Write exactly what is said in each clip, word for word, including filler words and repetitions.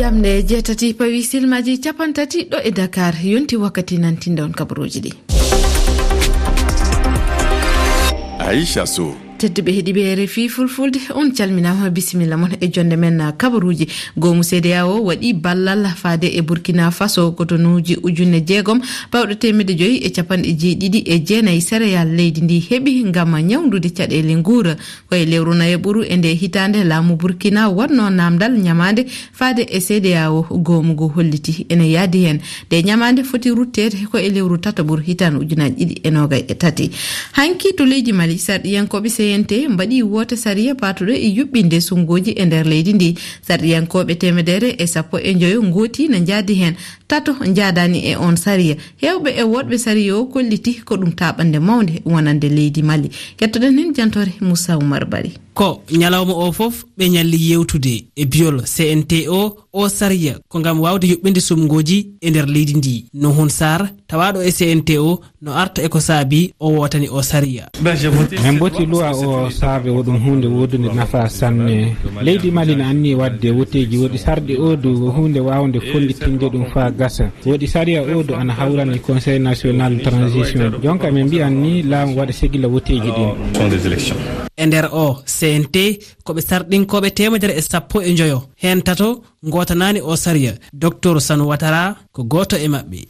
Jamɗe jeetati pawi silmaaji capanɗe tati ɗo e Dakar, yonti wakkati nantinɗon kabaruuji ɗi. Aisha Sow. Tedduɓe heɗiiɓe R F I Fulfulde, on calminaama, bisimilla mon e jonde men kabaruuji. Goomu C D A O waɗi ballal faade e Burkina Faso, kotonuuji ujunere jeegom, pawɗo teemedde joyi e capanɗe jeeɗiɗi e jeenayi céréales leydi ndi heɓi ngam ñawndude caɗeele nguura. Ko e lewru nayaɓuru e nde hitaande laamu Burkina waɗno naamndal ñamaande faade e C D A O, goomu ngu holliti ene yahdi heen. Nde ñamaande foti rutteede ko e lewru tataɓuru hitaande ujunaaji ɗiɗi e noogay e tati. Hanki to leydi Mali, sarɗiyankooɓe C N T mbaɗi woote sariya paatuɗo e yuɓɓinde sumngooji e nder leydi ndi. Sarɗiyankooɓe teemedere e sappo e njoyo ngooti na njaadi heen, tato njaadaani e on sariya. Heewɓe e woɗɓe sariya o kolliti ko ɗum taaɓannde mawnde wonande leydi Mali. Kettoɗen heen jantoore Moussa Oumar Bari. Ko ñalawma o fof ɓe ñalli yewtude e biyol C N T O, o sariya ko ngam waawde yuɓɓinde sumngooji e nder leydi ndi. Nuhun Sarr, tawaaɗo e C N T O, no arta e ko saabi o wootani o sariya. Min mboti luwa o sarde, o ɗum huunde woodunde nafa sanne. Leydi Mali na anni waɗde woteeji, woɗi sarɗi o du huunde waawnde fonnditinde ɗum faa gasa. Woɗi sariya o du ana hawrani Conseil National Transition. Jonka min mbiyan ni laamu waɗa segila woteeji ɗin. E nder o C N T, ko ɓe sarɗinkooɓe teemedere e sappo e njoyo. Heen tato ngootanaani o sariya. Docteur Sanu Watara ko gooto e maɓɓe.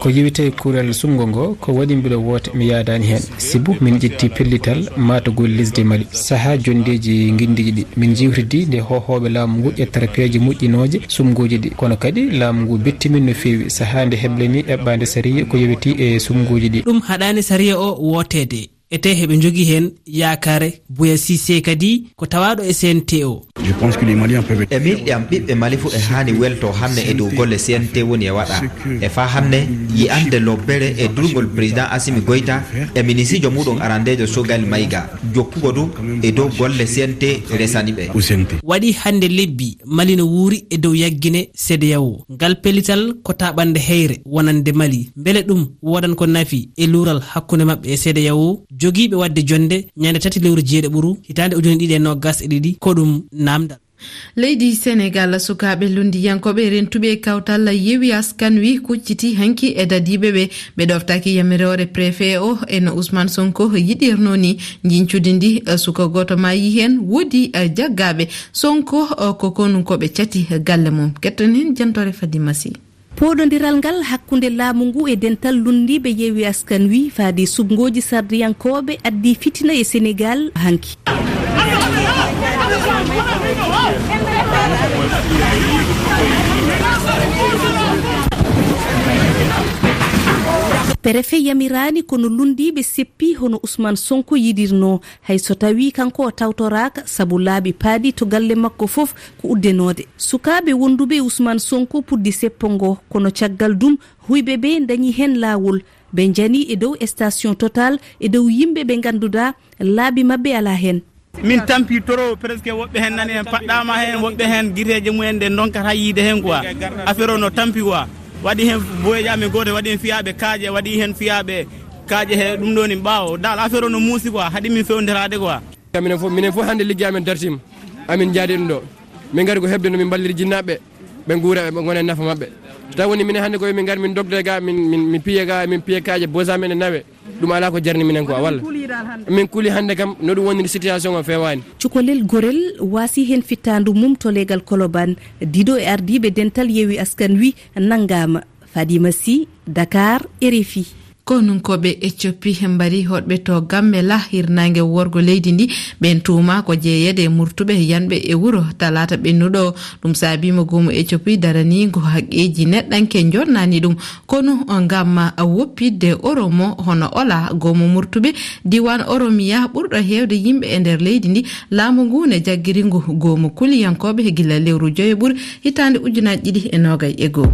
Ko yewtee kurel sunngo ngo, ko waɗi mbiɗo woota mi yaadaani heen. Sibu min ƴetti pellital maatugol lesdi Mali. Sahaa jonndeeji nginndiiji ɗi, min njiwtidi nde hoohooɓe laamu ngu ƴettata peeje moƴƴinooje sumngooji ɗi. Kono kadi laamu ngu betti min no feewi. Sahaa nde heblanii eɓɓaande sariya ko yowitii e sumngooji ɗi. Ɗum haɗaani sariya o wooteede. Etee heɓe njogii heen yaakaare. Buya Cissé kadi ko tawaaɗo e C N T O. E miijo am, ɓiɓɓe Mali fof e haani weltoo hannde e dow golle C N T woni e waɗa. E faa hannde yi'ande lobbere e durngol Président Assimi Goïta e minisiijo muuɗum arandeejo Choguel Maïga, jokkugo du e dow golle C N T resani ɓe. Waɗi hannde lebbi Mali no wuuri e dow yaggine C D A O. Ngal pellital ko taaɓannde heyre wonande Mali. Mbele ɗum woodan ko nafi e luural hakkunde maɓɓe e C D A O, jogiiɓe waɗde jonnde ñande tati lewru jeeɗiɓuru hitaande ujune ɗiɗi e noogas e ɗiɗi? Ko ɗum naamndal. Leydi Senegal, sukaaɓe lunndiyankooɓe rentuɓe kawtal Yewwi Askan Wi kucciti hanki e dadiiɓe ɓe. Ɓe ɗoftaaki yamiroore préfet o e no Ousmane Sonko yiɗirnoo ni. Njincudi ndi, eh, suka gooto maayi heen, woodi, eh, jaggaaɓe. Sonko, eh, ko konu ko ɓe cati galle mum. Ketton heen jantoore Fadima Sy. Pooɗondiral ngal hakkunde laamu ngu e dental lunndiiɓe Yewwi Askan Wi faade suɓngooji sardiyankooɓe addi fitina e Senegal hanki. Perefe yamiraani, kono lunndiiɓe seppi hono Ousmane Sonko yiɗirnoo, hay so tawii kanko o tawtoraaka, sabu laabi paaɗi to galle makko fof ko uddenoode. Sukaaɓe wonduɓe e Ousmane Sonko puddi seppo ngo, kono caggal ɗum, huyɓe ɓe ndañi heen laawol. Ɓe njani e dow station Total, e dow yimɓe ɓe ngannduɗaa laabi maɓɓe alaa heen. Min tampi trop, presque woɓɓe heen nani heen paɗɗaama heen, woɓɓe heen giteeje mumen nde ndonkata yiide heen quoi. Affaire o no tampi quoi. Waɗi heen boyeeji amen gooto, waɗi heen fiyaaɓe kaaƴe, waɗi heen fiyaaɓe kaaƴe he ɗum ɗo ni ɓaawo. Dal affaire o no muusi quoi, haɗi min fewndiraade quoi. Minen fof, minen fof hannde liggi amen dartiima. Amin njaadi ɗum ɗo. Min ngari ko heɓde no min mballiri jinnaaɓe, ɓe nguura, ɓe ngona e nafa maɓɓe. So tawi woni minen hannde ko min ngari min dogde ga, min, min, min piye ga, min piye kaaƴe, bosa men e nawe. Ɗum alaa ko jarni minen quoi, walla? Min kuli hannde kam, no ɗum woniri situation o feewaani. Cukalel gorel waasi heen fittaandu mum to leegal Koloban, dido e ardiiɓe dental Yewwi Askan Wi nanngaama. Fadima Sy, Dakar, R F I. Konunkooɓe Ethiopie mbari hoɗɓe to Gambela, hirnaange worgo leydi ndi. Ɓeen tuuma ko jeyeede e murtuɓe yanɓe e wuro talaata ɓennuɗo. Ɗum saabiima goomu Ethiopie daraniingo haqqeeji neɗɗanke jonnani ɗum. Kono ngam woppitde Oromo hono Ola, goomu murtuɓe diiwaan Oromiya ɓurɗo heewde yimɓe e nder leydi ndi, laamu ngu ne jaggiri ngu goomu kuliyankooɓe gila lewru joyo ɓuru hitaande ujunaaji ɗiɗi e noogay e goo.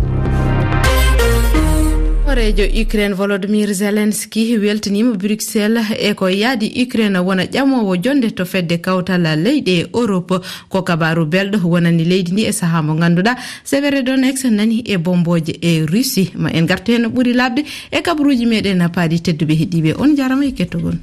Hooreejo Ukraine Volodymyr Zelensky weltiniima Bruxelles e ko yaadi Ukraine wona ƴamoowo jonnde to fedde kawtal leyɗe Europe. Ko kabaaru belɗo wonani leydi ndi e sahaa mo ngannduɗaa Severodonetsk nani e bombooje e Russie. Ma en ngartu heen no ɓuri laaɓde e kabaruuji meɗen paaɗi. Tedduɓe heɗiiɓe, on njaarama e kettogol.